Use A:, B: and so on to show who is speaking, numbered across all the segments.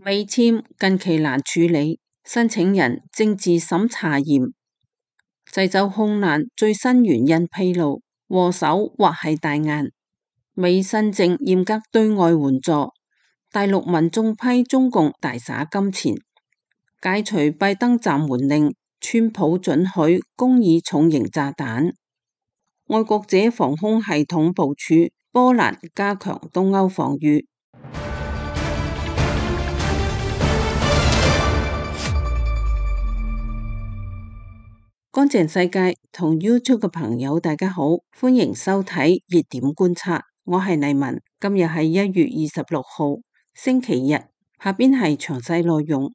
A: 美簽近期難處理，申請人政治審查嚴，滯州空難最新原因披露，禍首或係大雁。美新政嚴格對外援助，大陸民眾批中共大灑金錢，解除拜登暫緩令，川普准許公擬重型炸彈。愛國者防空系統部署，波蘭加強東歐防禦。乾淨世界同 YouTube 嘅朋友大家好，歡迎收睇熱點觀察，我係麗文。今日係1月26號星期日，下邊係詳細內容。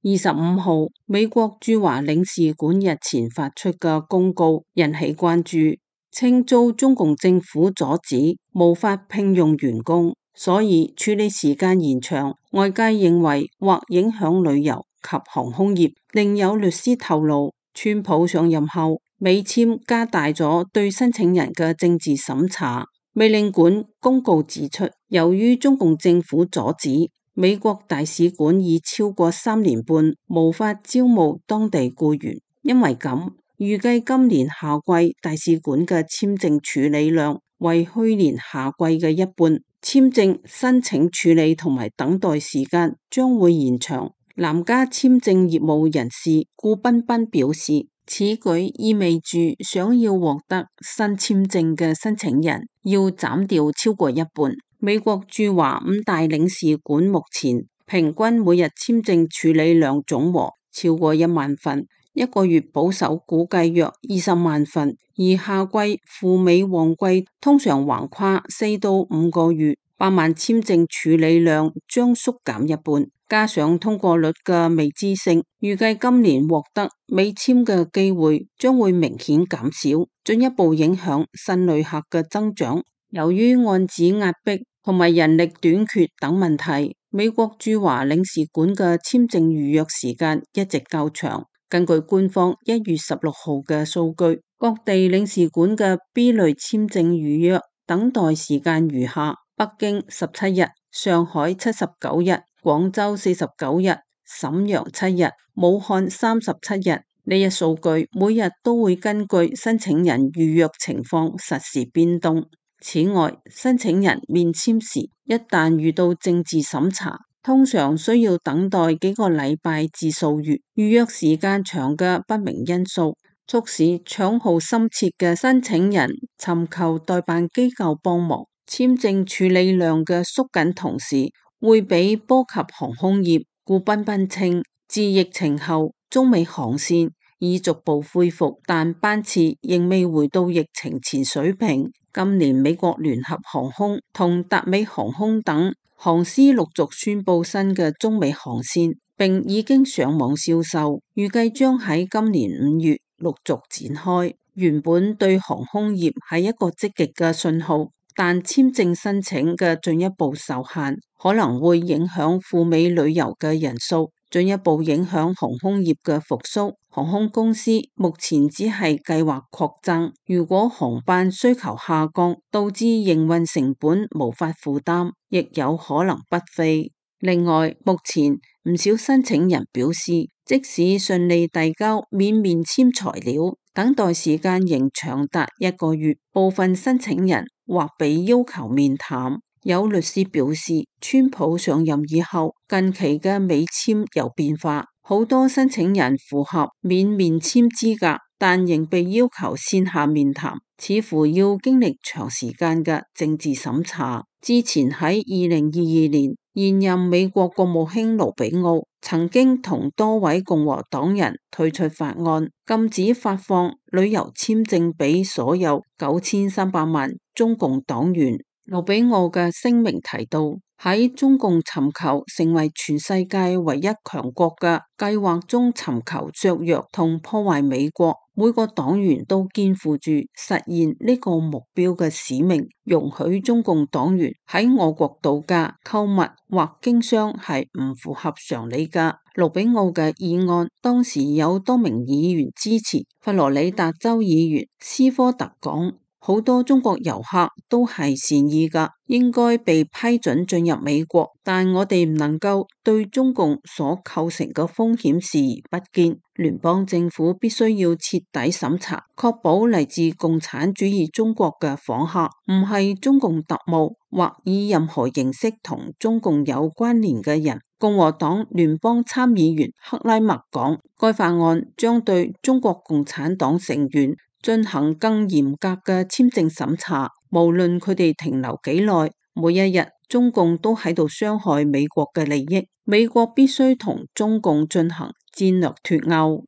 A: 25號美國駐華領事館日前發出嘅公告引起關注，稱遭中共政府阻止，無法聘用員工，所以處理時間延長。外界認為或影響旅遊及航空業。另有律師透露，川普上任後，美簽加大咗對申請人嘅政治審查。美領館公告指出，由於中共政府阻止，美國大使館已超過3年半無法招募當地僱員，因為咁，預計今年夏季大使館嘅簽證處理量為去年夏季嘅一半，簽證申請處理同埋等待時間將會延長。南加簽證業務人士顧彬彬表示，此舉意味住想要獲得新簽證嘅申請人要斬掉超過一半。美國駐華5大領事館目前平均每日簽證處理量總和超過1萬份，一個月保守估計約20萬份，而夏季赴美旺季通常橫跨4到5個月，8萬簽證處理量將縮減一半。加上通過率嘅未知性，預計今年獲得美簽嘅機會將會明顯減少，進一步影響新旅客嘅增長。由於案子壓迫同埋人力短缺等問題，美國駐華領事館嘅簽證預約時間一直較長。根據官方1月16號嘅數據，各地領事館嘅 B 類簽證預約等待時間如下：北京17日，上海79日，廣州49日，瀋陽7日，武漢37日。呢一數據每日都會根據申請人預約情況實時變動。此外，申請人面簽時一旦遇到政治審查，通常需要等待幾個禮拜至數月。預約時間長嘅不明因素，促使搶號心切嘅申請人尋求代辦機構幫忙。簽證處理量嘅縮緊同時，會被波及航空業。顧彬彬稱，自疫情後，中美航線已逐步恢復，但班次仍未回到疫情前水平。今年美國聯合航空同達美航空等航司陸續宣布新嘅中美航線，並已經上網銷售，預計將喺今年5月陸續展開。原本對航空業係一個積極嘅信號，但簽證申請嘅進一步受限，可能會影響赴美旅遊嘅人數，進一步影響航空業嘅復甦。航空公司目前只係計劃擴增，如果航班需求下降，導致營運成本無法負擔，亦有可能不飛。另外，目前唔少申請人表示，即使順利遞交免面簽材料，等待時間仍長達1個月，部分申請人或被要求面談。有律師表示，川普上任以後，近期嘅美簽有變化，好多申請人符合免面簽資格，但仍被要求線下面談，似乎要經歷長時間嘅政治審查。之前喺2022年，現任美國國務卿盧比奧曾經同多位共和黨人推出法案，禁止發放旅遊簽證俾所有9300萬中共黨員。盧比奧嘅聲明提到，喺中共尋求成為全世界唯一強國嘅計劃中尋求削弱同破壞美國，每個黨員都肩負住實現呢個目標嘅使命。容許中共黨員喺我國度假、購物或經商係唔符合常理㗎。盧比奧嘅議案當時有多名議員支持。佛羅里達州議員斯科特講，好多中國遊客都係善意㗎，應該被批准進入美國，但我哋唔能夠對中共所構成嘅風險視而不見。聯邦政府必須要徹底審查，確保嚟自共產主義中國嘅訪客唔係中共特務或以任何形式同中共有關聯嘅人。共和黨聯邦參議員克拉默講，該法案將對中國共產黨成員進行更嚴格嘅簽證審查，無論佢哋停留幾耐。每一日，中共都喺度傷害美國嘅利益，美國必須同中共進行戰略脫鈎。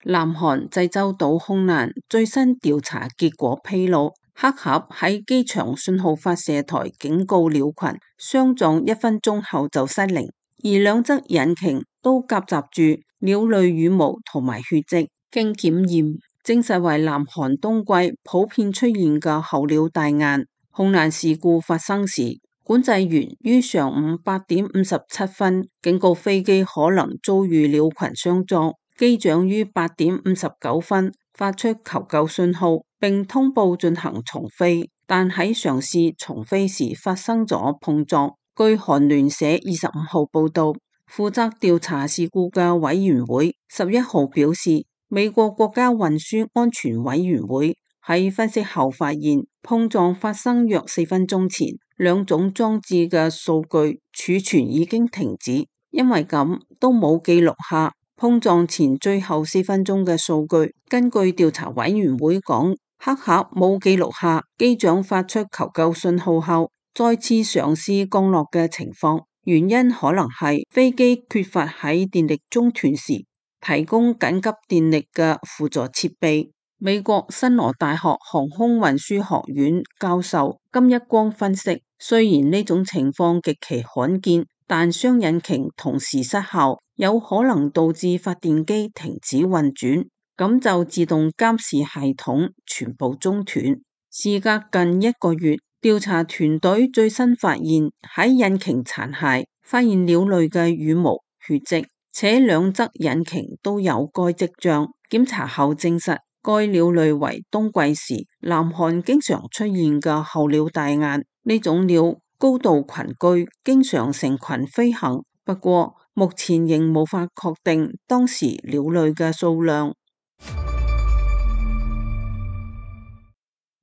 A: 南韓濟州島空難最新調查結果披露，黑盒喺機場信號發射台警告鳥群，相撞1分鐘後就失靈，而兩則引擎都夾雜住鳥類羽毛同埋血跡。經檢驗證實為南韓冬季普遍出現嘅候鳥大雁。空難事故發生時，管制員於上午8:57警告飛機可能遭遇鳥群相撞，機長於8:59發出求救信號，並通報進行重飛，但喺嘗試重飛時發生咗碰撞。據韓聯社25號報道，負責調查事故嘅委員會11號表示，美國國家運輸安全委員會喺分析後發現，碰撞發生約4分鐘前，兩種裝置嘅數據儲存已經停止，因為咁都冇記錄下碰撞前最後4分鐘嘅數據。根據調查委員會講，黑盒冇記錄下機長發出求救信號後再次嘗試降落嘅情況，原因可能係飛機缺乏喺電力中斷時提供緊急電力嘅輔助設備。美國新羅大學航空運輸學院教授金一光分析，雖然呢種情況極其罕見，但雙引擎同時失效有可能導致發電機停止運轉，咁就自動監視系統全部中斷。事隔近1個月，調查團隊最新發現喺引擎殘骸發現鳥類嘅羽毛、血跡，且兩則引擎都有該跡象。檢查後證實，該鳥類為冬季時南韓經常出現嘅候鳥大雁。呢種鳥高度群居，經常成群飛行，不過目前仍無法確定當時鳥類嘅數量。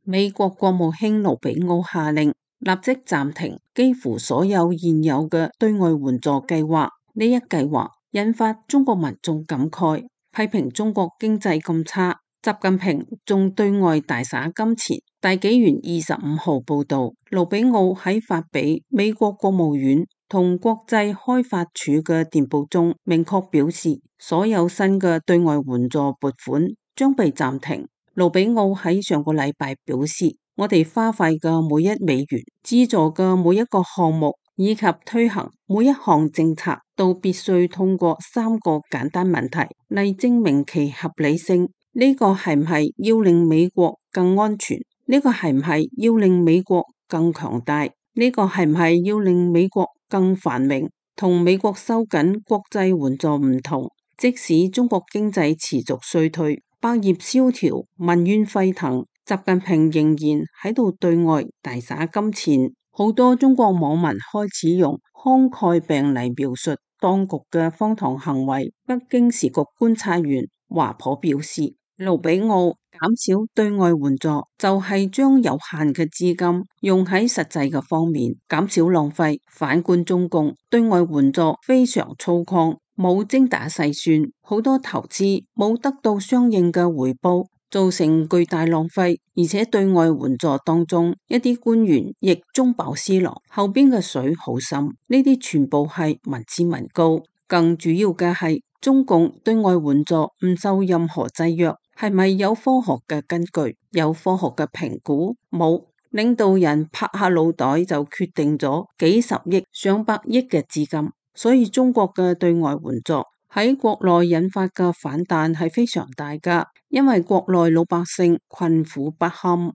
A: 美國國務卿盧比奧下令立即暫停幾乎所有現有嘅對外援助計劃。呢一計劃引發中國民眾感慨，批評中國經濟咁差，習近平仲對外大灑金錢。大紀元25號報道，盧比奧喺發俾美國國務院同國際開發署嘅電報中明確表示，所有新嘅對外援助撥款將被暫停。盧比奧喺上個禮拜表示，我哋花費嘅每1美元、資助嘅每一個項目以及推行每一項政策，都必須通過3個簡單問題嚟證明其合理性。呢個係唔係要令美國更安全？呢個係唔係要令美國更強大？呢個係唔係要令美國更繁榮？同美國收緊國際援助唔同，即使中國經濟持續衰退，百業蕭條，民怨沸騰，習近平仍然喺度對外大灑金錢。好多中國網民開始用慷慨病嚟描述當局嘅荒唐行為。北京時局觀察員華頗表示，盧比奧減少對外援助就係將有限嘅資金用喺實際嘅方面，減少浪費。反觀中共對外援助非常粗獷，冇精打細算，好多投資冇得到相應嘅回報，造成巨大浪費。而且對外援助當中一啲官員亦中飽私囊，後邊嘅水好深，呢啲全部係民脂民膏。更主要嘅係中共對外援助唔受任何制約，係咪有科學嘅根據？有科學嘅評估？冇，領導人拍下腦袋就決定咗幾十億、上百億嘅資金，所以中國嘅對外援助喺國內引發嘅反彈係非常大㗎，因為國內老百姓困苦不堪。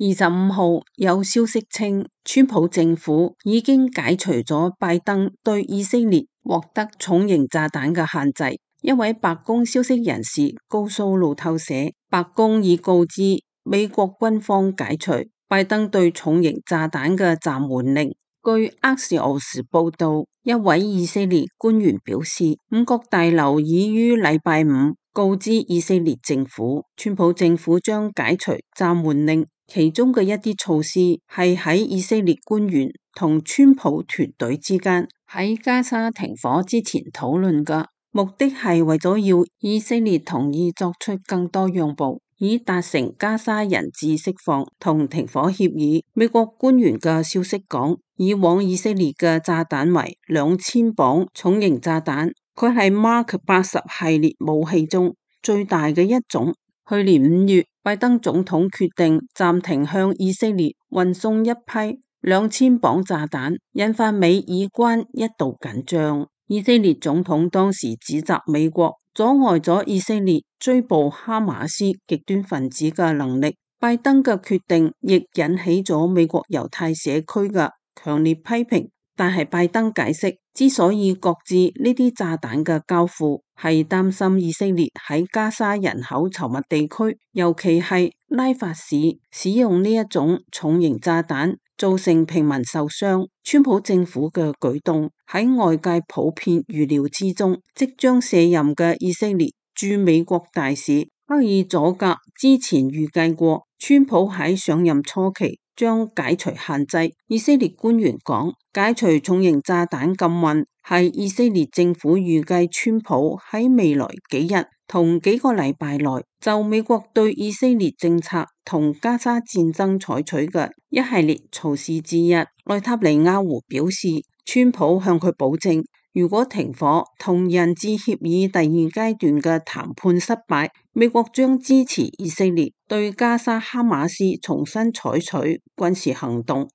A: 25號有消息稱，川普政府已經解除咗拜登對以色列獲得重型炸彈嘅限制。一位白宮消息人士告訴路透社，白宮已告知美國軍方解除拜登對重型炸彈嘅暫緩令。據厄士俄斯報道，一位以色列官員表示，五角大樓已於禮拜五告知以色列政府，川普政府將解除暫緩令。其中嘅一啲措施係喺以色列官員同川普團隊之間喺加沙停火之前討論嘅，目的係為咗要以色列同意作出更多讓步，以達成加沙人質釋放同停火協議。美國官員嘅消息講，以往以色列嘅炸彈為2000磅重型炸彈，佢係 Mark 80系列武器中最大嘅一種。去年5月，拜登總統決定暫停向以色列運送一批2000磅炸彈，引發美以關一度緊張。以色列總統當時指責美國阻礙咗以色列追捕哈馬斯極端分子嘅能力。拜登嘅決定亦引起咗美國猶太社區嘅強烈批評。但係拜登解釋，之所以擱置呢啲炸彈嘅交付，係擔心以色列喺加沙人口稠密地區，尤其係拉法市使用呢一種重型炸彈，造成平民受傷。川普政府嘅舉動喺外界普遍預料之中。即將卸任嘅以色列駐美國大使克爾佐格之前預計過，川普喺上任初期將解除限制。以色列官員講，解除重型炸彈禁運係以色列政府預計川普喺未來幾日同幾個禮拜內就美國對以色列政策同加沙戰爭採取嘅一系列措施之一。內塔尼亞胡表示，川普向佢保證，如果停火同人質協議第2階段嘅談判失敗，美國將支持以色列對加沙哈馬斯重新採取軍事行動。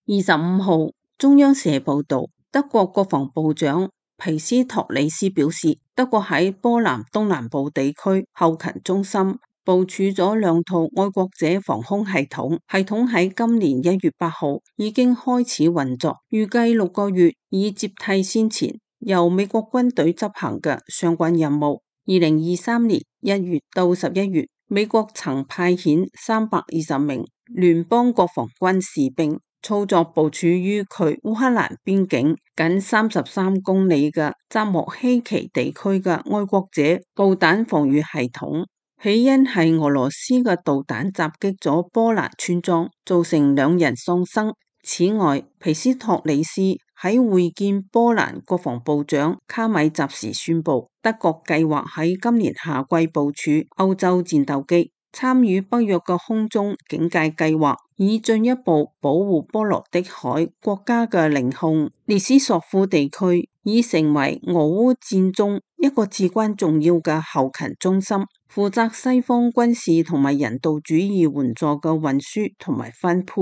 A: 25號中央社報道，德國國防部長皮斯托里斯表示，德國喺波蘭東南部地區後勤中心部署咗2套愛國者防空系統，系統喺今年1月8號已經開始運作，預計6個月以接替先前由美國軍隊執行嘅相關任務。2023年1月到11月，美國曾派遣320名聯邦國防軍士兵操作部署於距烏克蘭邊境僅33公里嘅扎莫希奇地區嘅愛國者導彈防禦系統。起因係俄羅斯嘅導彈襲擊咗波蘭村莊，造成2人喪生。此外，皮斯托里斯喺會見波蘭國防部長卡米扎時宣布，德國計劃喺今年夏季部署歐洲戰鬥機，參與北約嘅空中警戒計劃，以進一步保護波羅的海國家嘅領空。列斯索夫地區已成為俄烏戰中一個至關重要嘅後勤中心，負責西方軍事同埋人道主義援助嘅運輸同埋分配。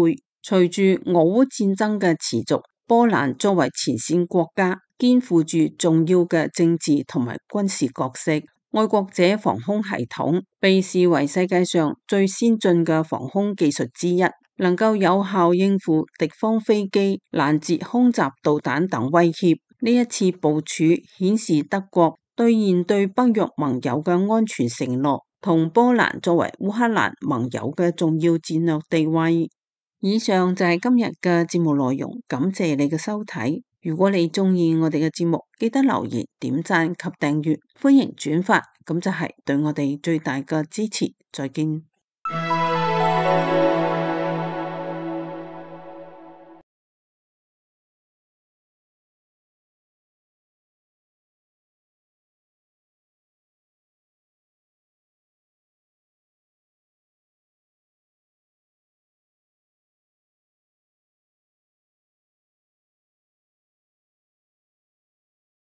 A: 隨住俄烏戰爭嘅持續，波蘭作為前線國家，肩負住重要嘅政治同埋軍事角色。愛國者防空系統被視為世界上最先進嘅防空技術之一，能夠有效應付敵方飛機、攔截空襲導彈等威脅。呢一次部署顯示德國兌現對北約盟友嘅安全承諾，同波蘭作為烏克蘭盟友嘅重要戰略地位。以上就係今日嘅節目內容，感謝你嘅收睇。如果你鍾意我哋嘅節目，記得留言、點讚及訂閱，歡迎轉發，咁就係對我哋最大嘅支持。再見。